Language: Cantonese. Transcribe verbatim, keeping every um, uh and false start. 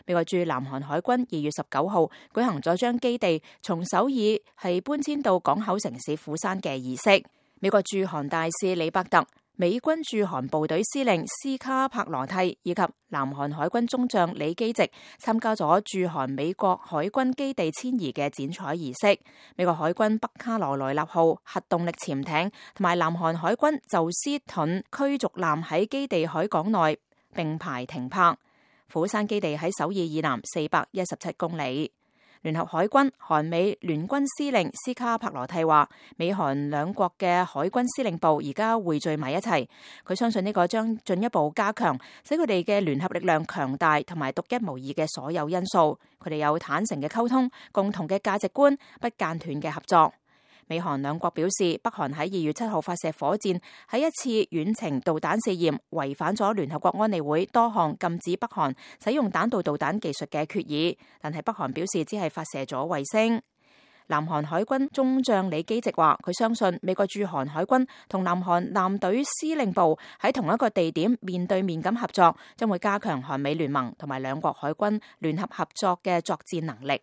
美國駐南韓海軍二月十九號舉行咗將基地從首爾係搬遷到港口城市釜山嘅儀式。美國駐韓大使李伯特、美軍駐韓部隊司令斯卡柏羅蒂以及南韓海軍中將李基植參加咗駐韓美國海軍基地遷移嘅剪彩儀式。美國海軍北卡羅來納號核動力潛艇同埋南韓海軍宙斯盾驅逐艦喺基地海港內並排停泊。釜山基地喺首爾以南四百一十七公里。聯合海軍韓美聯軍司令斯卡柏羅蒂話，美韓兩國嘅海軍司令部而家匯聚埋一齊，佢相信呢個將進一步加強使佢哋嘅聯合力量強大同埋獨一無二嘅所有因素。佢哋有坦誠嘅溝通、共同嘅價值觀、不間斷嘅合作。美韓兩國表示，北韓喺二月七號發射火箭，喺一次遠程導彈試驗，違反咗聯合國安理會多項禁止北韓使用彈道導彈技術嘅決議。但係北韓表示只係發射咗衛星。南韓海軍中將李基植話，佢相信美國駐韓海軍同南韓艦隊司令部喺同一個地點面對面咁合作，將會加強韓美聯盟同埋兩國海軍聯合合作嘅作戰能力。